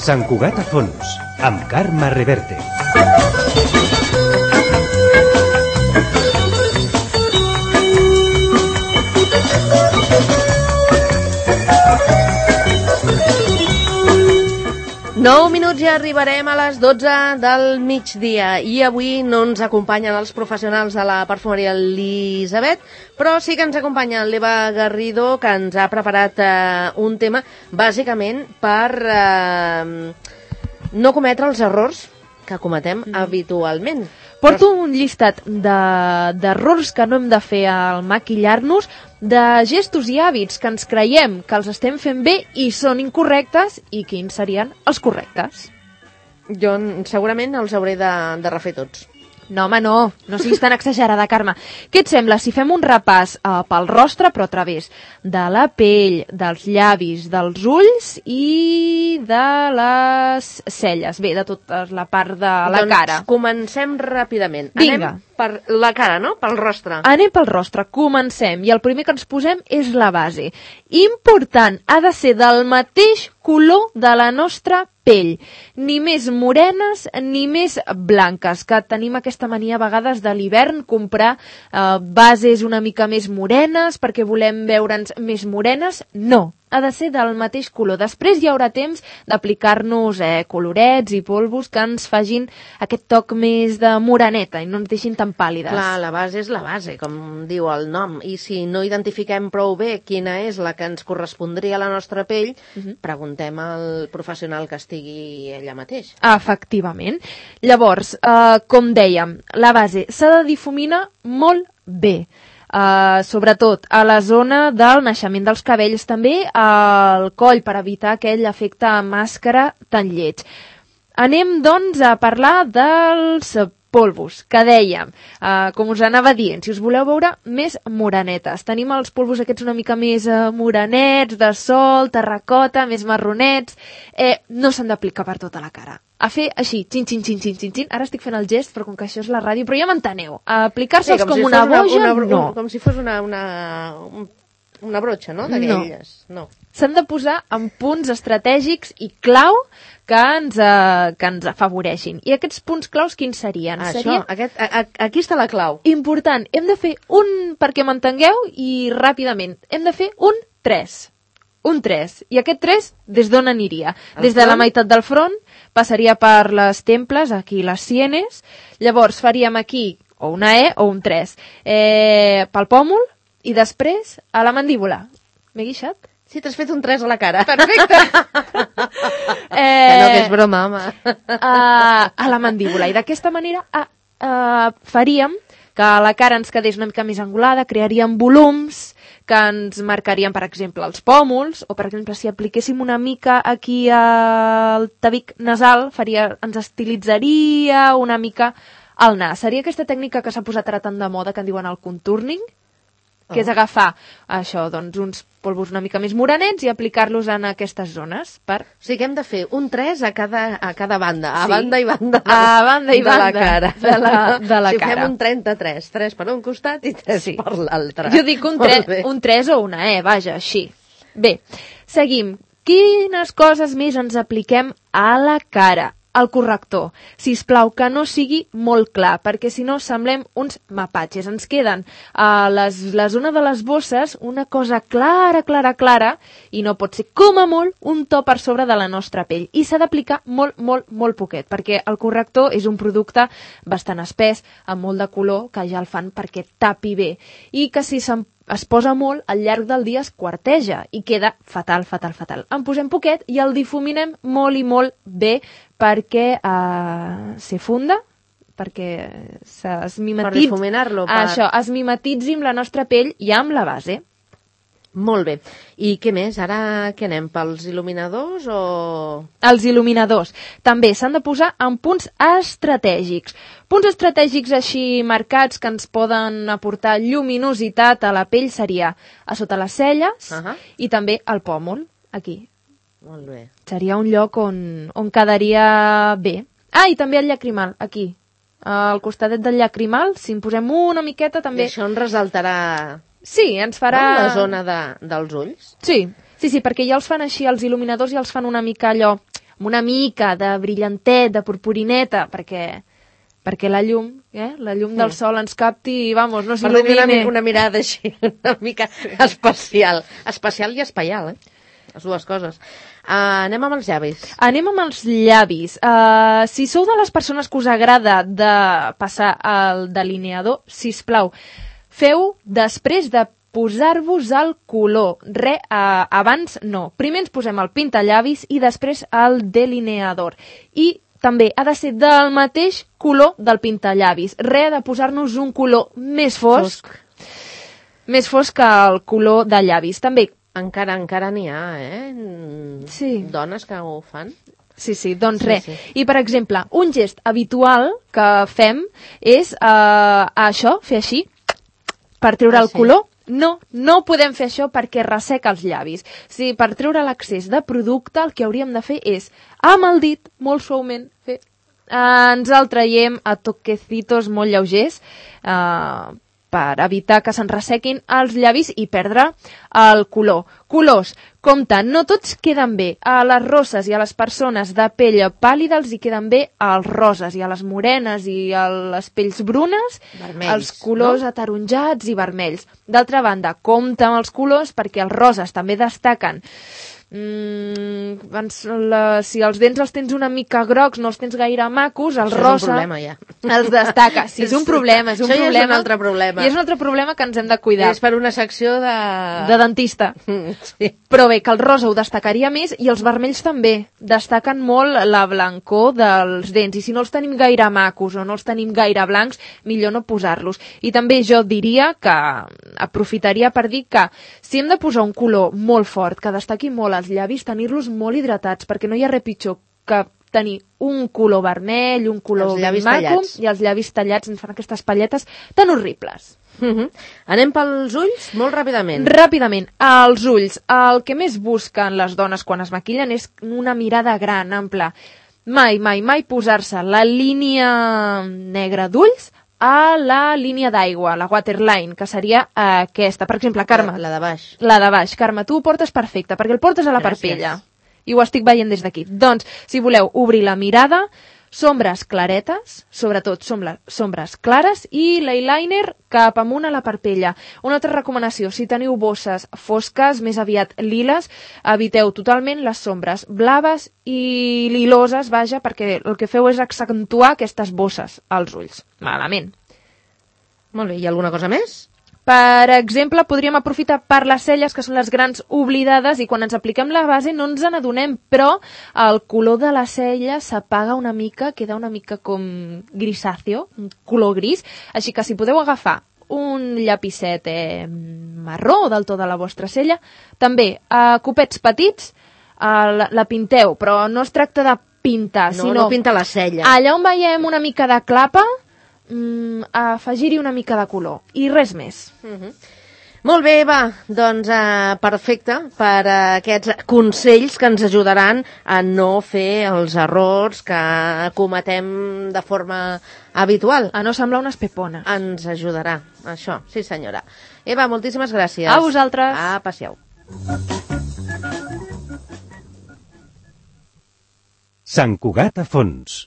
Sant Cugat a fons, amb Carme Reverte. Nou minuts i arribarem a les 12 del migdia i avui no ens acompanyen els professionals de la perfumeria Elisabet, però sí que ens acompanya l'Eva Garrido, que ens ha preparat un tema bàsicament per no cometre els errors que cometem habitualment. Porto un llistat d'errors que no hem de fer al maquillar-nos, de gestos i hàbits que ens creiem que els estem fent bé i són incorrectes, i quins serien els correctes. Jo segurament els hauré de refer tots. No, home, no siguis tan exagerada, Carme. Què et sembla si fem un repàs pel rostre, però a través de la pell, dels llavis, dels ulls i de les celles? Bé, de tota la part de la cara. Doncs comencem ràpidament. Vinga. Anem per la cara, no? Pel rostre. Anem pel rostre, comencem. I el primer que ens posem és la base. Important, ha de ser del mateix color de la nostra pell. Ni més morenes ni més blanques, que tenim aquesta mania a vegades de l'hivern, comprar bases una mica més morenes perquè volem veure'ns més morenes. No, ha de ser del mateix color. Després hi haurà temps d'aplicar-nos colorets i polvos que ens facin aquest toc més de moreneta i no ens deixin tan pàl·lides. Clar, la base és la base, com diu el nom, i si no identifiquem prou bé quina és la que ens correspondria a la nostra pell, preguntem al professional que estigui allà mateix. Efectivament. Llavors, com dèiem, la base s'ha de difuminar molt bé. Sobretot a la zona del naixement dels cabells, també al coll, per evitar aquell efecte màscara tan lleig. Anem, doncs, a parlar dels polvos, que dèiem, com us anava dient, si us voleu veure més morenetes. Tenim els polvos aquests una mica més morenets, de sol, terracota, més marronets. No s'han d'aplicar per tota la cara. A fer així, xin, xin, xin, xin, xin, xin. Ara estic fent el gest, però com que això és la ràdio, però ja m'enteneu. Aplicar-se'ls com una boja, no. Com si fos una brotxa, no? D'aquelles. No. S'han de posar en punts estratègics i clau que ens afavoreixin. I aquests punts claus quins serien? Aquí està la clau. Important, hem de fer perquè m'entengueu i ràpidament, hem de fer un 3. Un 3. I aquest 3, des d'on aniria? Des de la meitat del front, passaria per les temples, aquí les sienes, llavors faríem aquí o una E o un 3. Pel pòmul i després a la mandíbula. M'he guixat? Sí, t'has fet un 3 a la cara. Perfecte! Que no, que és broma, home. A la mandíbula. I d'aquesta manera faríem que la cara ens quedés una mica més angulada, crearíem volums que ens marcarien, per exemple, els pòmuls, o, per exemple, si apliquéssim una mica aquí al tabic nasal, ens estilitzaria una mica el nas. Seria aquesta tècnica que s'ha posat ara tan de moda, que en diuen el contouring, que és agafar això, doncs, uns polvos una mica més morenets i aplicar-los en aquestes zones. O sigui que hem de fer un 3 a cada banda, a Sí. banda i banda, A banda i de la banda cara. de la Si cara. fem un 33, 3 per un costat i 3 per l'altre. Jo dic un 3 o una E, vaja, així. Bé, seguim. Quines coses més ens apliquem a la cara? El corrector. Sisplau, que no sigui molt clar, perquè si no semblem uns mapatges. Ens queden a la zona de les bosses una cosa clara, clara, clara, i no pot ser, com a molt, un to per sobre de la nostra pell. I s'ha d'aplicar molt, molt, molt poquet, perquè el corrector és un producte bastant espès, amb molt de color, que ja el fan perquè tapi bé. I que si es posa molt, al llarg del dia es quarteja i queda fatal, fatal, fatal. En posem poquet i el difuminem molt i molt bé perquè se funda, perquè es mimetitzi. Per difuminar-lo. Això, es mimetitzi amb la nostra pell i amb la base. Molt bé. I què més? Ara què anem? Pels il·luminadors o...? Els il·luminadors també s'han de posar en punts estratègics. Punts estratègics així marcats que ens poden aportar lluminositat a la pell seria a sota les celles i també al pòmul, aquí. Molt bé. Seria un lloc on quedaria bé. I també el llacrimal, aquí. Al costadet del llacrimal, si en posem una miqueta també... I això en resaltarà... Sí, ens farà... La zona dels ulls? Sí, perquè ja els fan així, els il·luminadors ja els fan una mica allò amb una mica de brillantet, de purpurineta, perquè la llum del sol ens capti i, vamos, no s'il·lumine. Per tenir una mirada així, una mica especial. Especial i espaial, les dues coses. Anem amb els llavis. Anem amb els llavis. Si sou de les persones que us agrada de passar el delineador, sisplau, feu després de posar-vos el color. Abans no. Primer ens posem el pintallavis i després el delineador. I també ha de ser del mateix color del pintallavis. De posar-nos un color més fosc. Més fosc que el color de llavis. També. Encara n'hi ha, Sí. Dones que ho fan. Sí, doncs res. I, per exemple, un gest habitual que fem és això, fer així, per treure el color. No podem fer això perquè resseca els llavis. Sí, per treure l'excés de producte el que hauríem de fer és, amb el dit, molt suaument, ens el traiem a toquecitos molt lleugers per evitar que se'n ressequin els llavis i perdre el color. Colors, compte, no tots queden bé. A les rosses i a les persones de pell pàl·lida els hi queden bé als roses, i a les morenes i a les pells brunes, vermells, els colors ataronjats i vermells. D'altra banda, compte amb els colors perquè els roses també destaquen. Si els dents els tens una mica grocs, no els tens gaire macos, el rosa... és un problema, ja. Els destaca. Sí, és un problema, Això ja és un altre problema. I és un altre problema que ens hem de cuidar. És per una secció de... de dentista. Sí. Però bé, que el rosa ho destacaria més i els vermells també. Destaquen molt la blancor dels dents. I si no els tenim gaire macos o no els tenim gaire blancs, millor no posar-los. I també jo diria que aprofitaria per dir que si hem de posar un color molt fort, que destaqui molt els llavis, tenir-los molt hidratats, perquè no hi ha res pitjor que tenir un color vermell, un color ben maco, i els llavis tallats ens fan aquestes palletes tan horribles. Anem pels ulls molt ràpidament. Ràpidament, els ulls. El que més busquen les dones quan es maquillen és una mirada gran, ampla. Mai posar-se la línia negra d'ulls a la línia d'aigua, la waterline, que seria aquesta. Per exemple, Carme. La de baix. La de baix. Carme, tu ho portes perfecte, perquè el portes a la parpella. I ho estic veient des d'aquí. Doncs, si voleu obrir la mirada, sombres claretes, sobretot sombres clares, i l'eyeliner cap amunt a la parpella. Una altra recomanació, si teniu bosses fosques, més aviat liles, eviteu totalment les sombres blaves i liloses, vaja, perquè el que feu és accentuar aquestes bosses als ulls. Malament. Molt bé, i alguna cosa més? Per exemple, podríem aprofitar per les celles, que són les grans oblidades, i quan ens apliquem la base no ens n'adonem, però el color de la cella s'apaga una mica, queda una mica com grisáceo, un color gris, així que si podeu agafar un llapicet marró del to de la vostra cella, també copets petits, la pinteu, però no es tracta de pintar, sinó... No pinta la cella. Allà on veiem una mica de clapa, afegir-hi una mica de color i res més. Molt bé, va, doncs perfecte per aquests consells que ens ajudaran a no fer els errors que cometem de forma habitual. A no semblar unes pepones. Ens ajudarà, això, sí senyora. Eva, moltíssimes gràcies. A vosaltres. Passeu. Sant Cugat a fons.